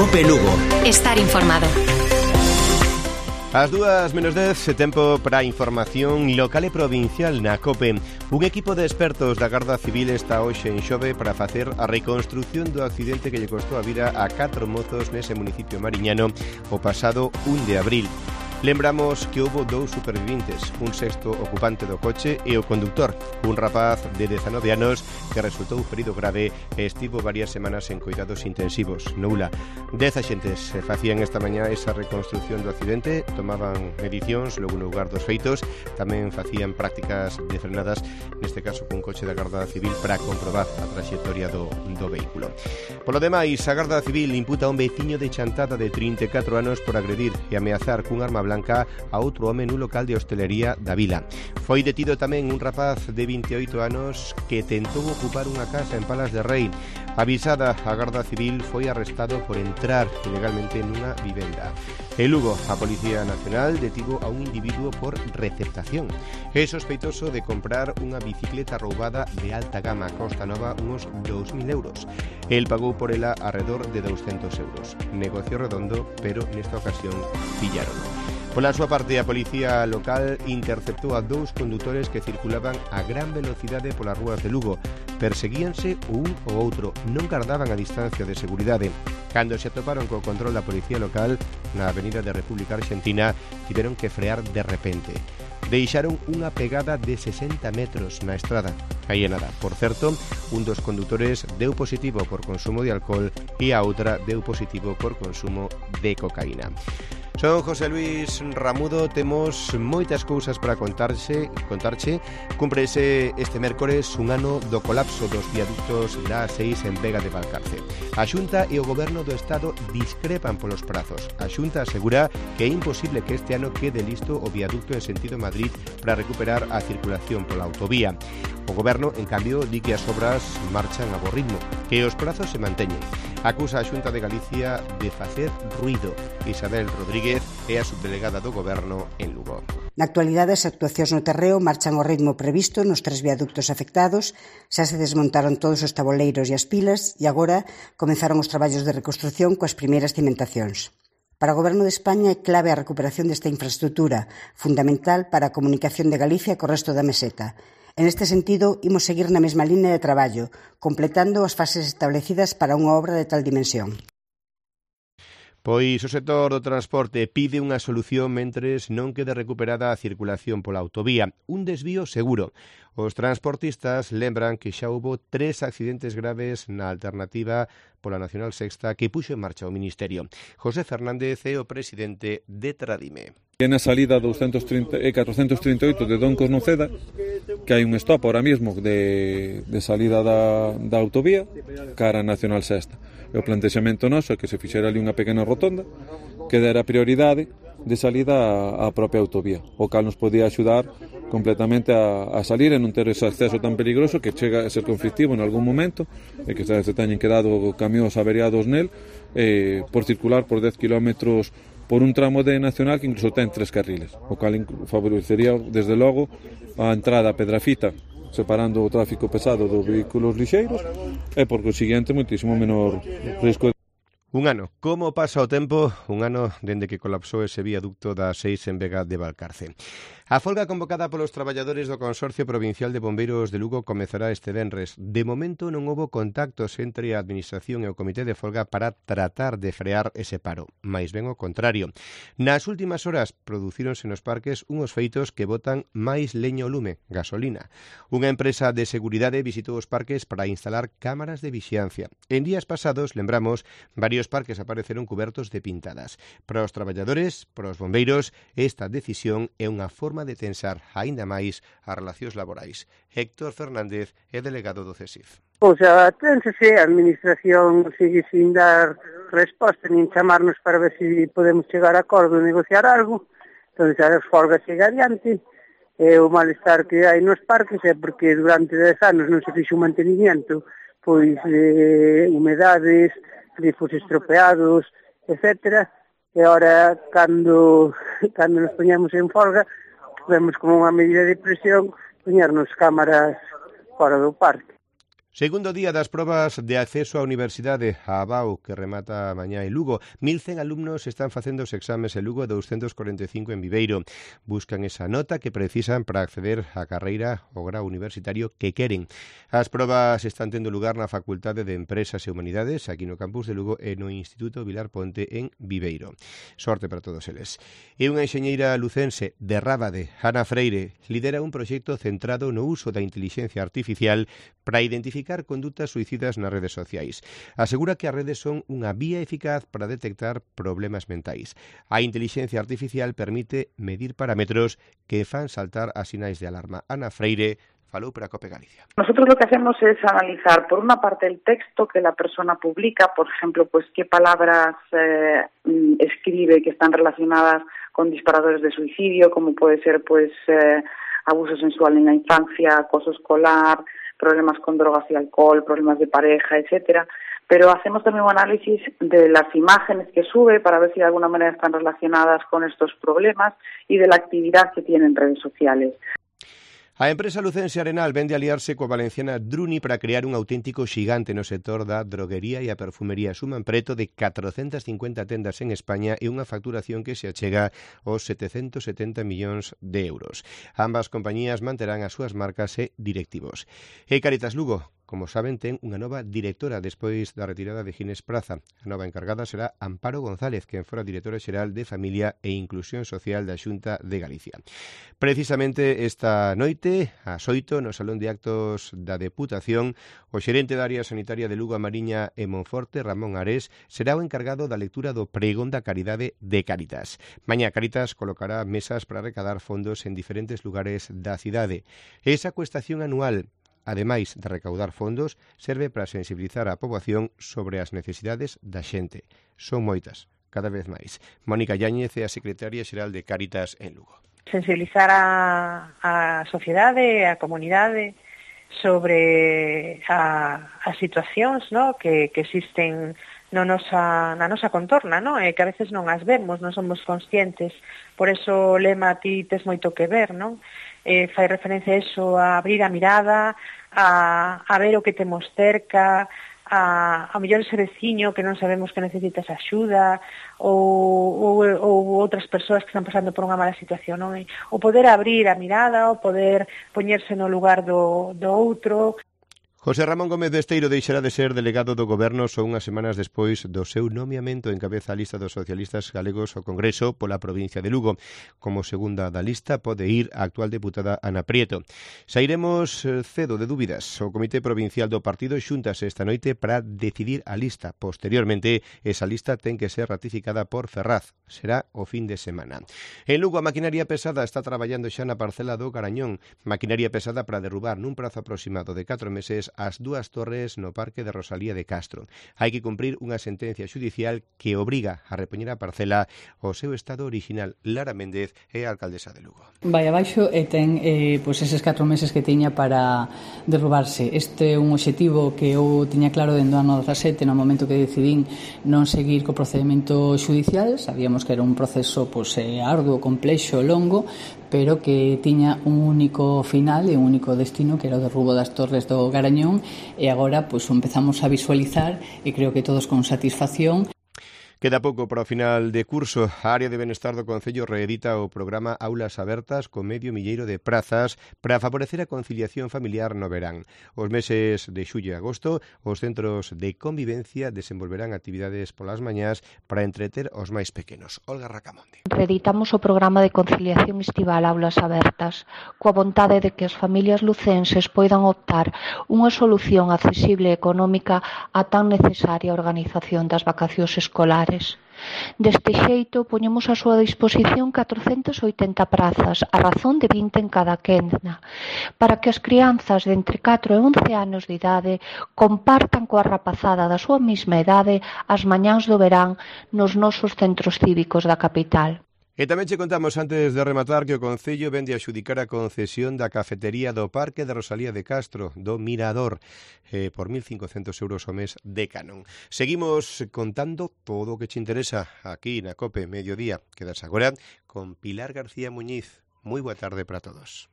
COPE Lugo. Estar informado. As 2:10, tempo para a información local e provincial na COPE. Un equipo de expertos da Garda Civil está hoxe en Xove para facer a reconstrucción do accidente que lle costou a vida a 4 mozos nese municipio mariñano o pasado 1 de abril. Lembramos que houbo 2 supervivintes, un sexto ocupante do coche e o conductor, un rapaz de 19 anos que resultou ferido grave e estivo varias semanas en cuidados intensivos. Noula, 10 axentes facían esta mañá esa reconstrucción do accidente, tomaban medicións logo no lugar dos feitos, tamén facían prácticas de frenadas, neste caso cun coche da Garda Civil para comprobar a traxectoria do vehículo. Polo demais, a Garda Civil imputa a un veciño de Chantada de 34 anos por agredir e ameazar cun arma blanca a outro home nun local de hostelería da vila. Foi detido tamén un rapaz de 28 anos que tentou ocupar unha casa en Palas de Rei. Avisada a Garda Civil, foi arrestado por entrar ilegalmente nunha vivenda. En Lugo, a Policía Nacional detivo a un individuo por receptación. É sospeitoso de comprar unha bicicleta roubada de alta gama, costa nova uns 2.000 euros. El pagou por ela alrededor de 200 euros. Negocio redondo, pero nesta ocasión pillarono. Pola súa parte, a Policía Local interceptou a 2 condutores que circulaban a gran velocidade polas rúas de Lugo. Perseguíanse un ou outro, non gardaban a distancia de seguridade. Cando se atoparon co control da Policía Local na Avenida de República Argentina, tiveron que frear de repente. Deixaron unha pegada de 60 metros na estrada. Aí é nada. Por certo, un dos condutores deu positivo por consumo de alcohol e a outra deu positivo por consumo de cocaína. Son José Luis Ramudo, temos moitas cousas para contarche. Cúmprese este mércores un ano do colapso dos viaductos da A6 en Vega de Valcarce. A Xunta e o Goberno do Estado discrepan polos prazos. A Xunta asegura que é imposible que este ano quede listo o viaducto en sentido Madrid para recuperar a circulación pola autovía. O Goberno, en cambio, di que as obras marchan a bo ritmo, que os prazos se manteñen. Acusa a Xunta de Galicia de facer ruido. Isabel Rodríguez é a subdelegada do Goberno en Lugo. Na actualidade, as actuacións no terreo marchan ao ritmo previsto nos 3 viaductos afectados, xa se desmontaron todos os taboleiros e as pilas e agora comenzaron os traballos de reconstrución coas primeiras cimentacións. Para o Goberno de España é clave a recuperación desta infraestrutura, fundamental para a comunicación de Galicia co resto da meseta. En este sentido, imos seguir na mesma línea de traballo, completando as fases establecidas para unha obra de tal dimensión. Pois o sector do transporte pide unha solución mentres non quede recuperada a circulación pola autovía. Un desvío seguro. Os transportistas lembran que xa houbo 3 accidentes graves na alternativa pola Nacional Sexta que puxo en marcha o Ministerio. José Fernández é o presidente de Tradime. Na salida 438 de Doncos Noceda, que hai un stop ahora mismo de salida da autovía cara a Nacional Sexta. E o plantexamento noso é que se fixera ali unha pequena rotonda que dera prioridade de salida á propia autovía, o cal nos podía axudar completamente a salir e non ter ese acceso tan peligroso que chega a ser conflictivo en algún momento e que se teñen quedado camións averiados nel por circular por 10 kilómetros por un tramo de Nacional que incluso ten 3 carriles, o cal favorecería desde logo a entrada a Pedrafita, separando o tráfico pesado dos vehículos lixeiros e por consiguiente moitísimo menor risco. Un ano. Como pasa o tempo? Un ano dende que colapsou ese viaducto da A6 en Vega de Valcarce. A folga convocada polos traballadores do Consorcio Provincial de Bombeiros de Lugo comezará este venres. De momento non houbo contactos entre a Administración e o Comité de Folga para tratar de frear ese paro, máis ben o contrario. Nas últimas horas producíronse nos parques unhos feitos que botan máis leña ao lume, gasolina. Unha empresa de seguridade visitou os parques para instalar cámaras de vixiancia. En días pasados, lembramos, varios parques apareceron cubertos de pintadas. Para os traballadores, para os bombeiros, esta decisión é unha forma de tensar aínda máis as relacións laborais. Héctor Fernández é delegado do CESIF. O sea, ténsese, a Administración sigue sin dar resposta, nin chamarnos para ver se podemos chegar a acordo e negociar algo, entón as folgas chega adiante, e o malestar que hai nos parques é porque durante 10 anos non se fixo un mantenimiento, pois humedades, grifos estropeados, etcétera, e agora cando nos poñamos en folga, vemos como unha medida de presión poñernos cámaras fora do parque. Segundo día das probas de acceso á Universidade, a ABAU, que remata mañá en Lugo. 1.100 alumnos están facendo os exames en Lugo e 245 en Viveiro. Buscan esa nota que precisan para acceder á carreira ou grau universitario que queren. As probas están tendo lugar na Facultade de Empresas e Humanidades, aquí no campus de Lugo, e no Instituto Vilar Ponte en Viveiro. Sorte para todos eles. E unha enxeñeira lucense de Rábade, Ana Freire, lidera un proxecto centrado no uso da intelixencia artificial para identificar condutas suicidas nas redes sociais. Asegura que as redes son unha vía eficaz para detectar problemas mentais. A intelixencia artificial permite medir parámetros que fan saltar as sinais de alarma. Ana Freire falou para COPE Galicia. Nosotros lo que hacemos es analizar, por una parte, el texto que la persona publica, por ejemplo, pues qué palabras escribe que están relacionadas con disparadores de suicidio, como puede ser pues abuso sensual en la infancia, acoso escolar, problemas con drogas y alcohol, problemas de pareja, etcétera. Pero hacemos también un análisis de las imágenes que sube para ver si de alguna manera están relacionadas con estos problemas y de la actividad que tienen en redes sociales. A empresa lucense Arenal vende aliarse coa valenciana Druni para crear un auténtico xigante no sector da droguería e a perfumería. Suman preto de 450 tendas en España e unha facturación que se achega aos 770 millóns de euros. Ambas compañías manterán as súas marcas e directivos. E Caritas Lugo, como saben, ten unha nova directora despois da retirada de Ginés Praza. A nova encargada será Amparo González, quen fora directora xeral de Familia e Inclusión Social da Xunta de Galicia. Precisamente esta noite, ás 8, no Salón de Actos da Deputación, o xerente da área sanitaria de Lugo, a Mariña e Monforte, Ramón Ares, será o encargado da lectura do pregón da caridade de Cáritas. Mañá Cáritas colocará mesas para recadar fondos en diferentes lugares da cidade. Esa cuestación anual, ademais de recaudar fondos, serve para sensibilizar a poboación sobre as necesidades da xente. Son moitas, cada vez máis. Mónica Yáñez é a secretaria xeral de Cáritas en Lugo. Sensibilizar a sociedade, a comunidade, sobre as situacións, no, que existen na nosa contorna, no? E que a veces non as vemos, non somos conscientes. Por eso o lema ti tes moito que ver, non? Fai referencia a eso, a abrir a mirada, a ver o que temos cerca, a mellor ese veciño que non sabemos que necesitas axuda, ou outras persoas que están pasando por unha mala situación, non? O poder abrir a mirada, o poder poñerse no lugar do outro. José Ramón Gómez de Esteiro deixará de ser delegado do Goberno só unhas semanas despois do seu nomeamento en cabeza a lista dos socialistas galegos ao Congreso pola provincia de Lugo. Como segunda da lista pode ir a actual deputada Ana Prieto. Sairemos cedo de dúbidas. O Comité Provincial do Partido xúntase esta noite para decidir a lista. Posteriormente, esa lista ten que ser ratificada por Ferraz. Será o fin de semana. En Lugo, a maquinaria pesada está traballando xa na parcela do Garañón. Maquinaria pesada para derrubar nun prazo aproximado de 4 meses as dúas torres no Parque de Rosalía de Castro. Hai que cumprir unha sentencia xudicial que obriga a repoñer a parcela ao seu estado original. Lara Méndez é a alcaldesa de Lugo. Vai abaixo e ten pois eses 4 meses que tiña para derrubarse. Este é un obxectivo que eu tiña claro dentro do ano 17, no momento que decidín non seguir co procedimento xudicial. Sabíamos que era un proceso arduo, complexo, longo, pero que tiña un único final e un único destino, que era o derrubo das torres do Garañón, e agora empezamos a visualizar, e creo que todos con satisfacción. Queda pouco para o final de curso. A área de benestar do Concello reedita o programa Aulas Abertas con 500 de prazas para favorecer a conciliación familiar no verán. Os meses de xullo e agosto, os centros de convivencia desenvolverán actividades polas mañás para entreter os máis pequenos. Olga Racamonde. Reeditamos o programa de conciliación estival Aulas Abertas, coa vontade de que as familias lucenses poidan optar unha solución accesible e económica a tan necesaria organización das vacacións escolares. Deste xeito, poñemos a súa disposición 480 prazas, a razón de 20 en cada quenda, para que as crianzas de entre 4 e 11 anos de idade compartan coa rapazada da súa mesma idade as mañáns do verán nos nosos centros cívicos da capital. E tamén che contamos, antes de rematar, que o Concello vende a xudicar a concesión da cafetería do Parque de Rosalía de Castro, do Mirador, por 1.500 euros ao mes de canon. Seguimos contando todo o que che interesa aquí na COPE Mediodía. Quedas agora con Pilar García Muñiz. Moi boa tarde para todos.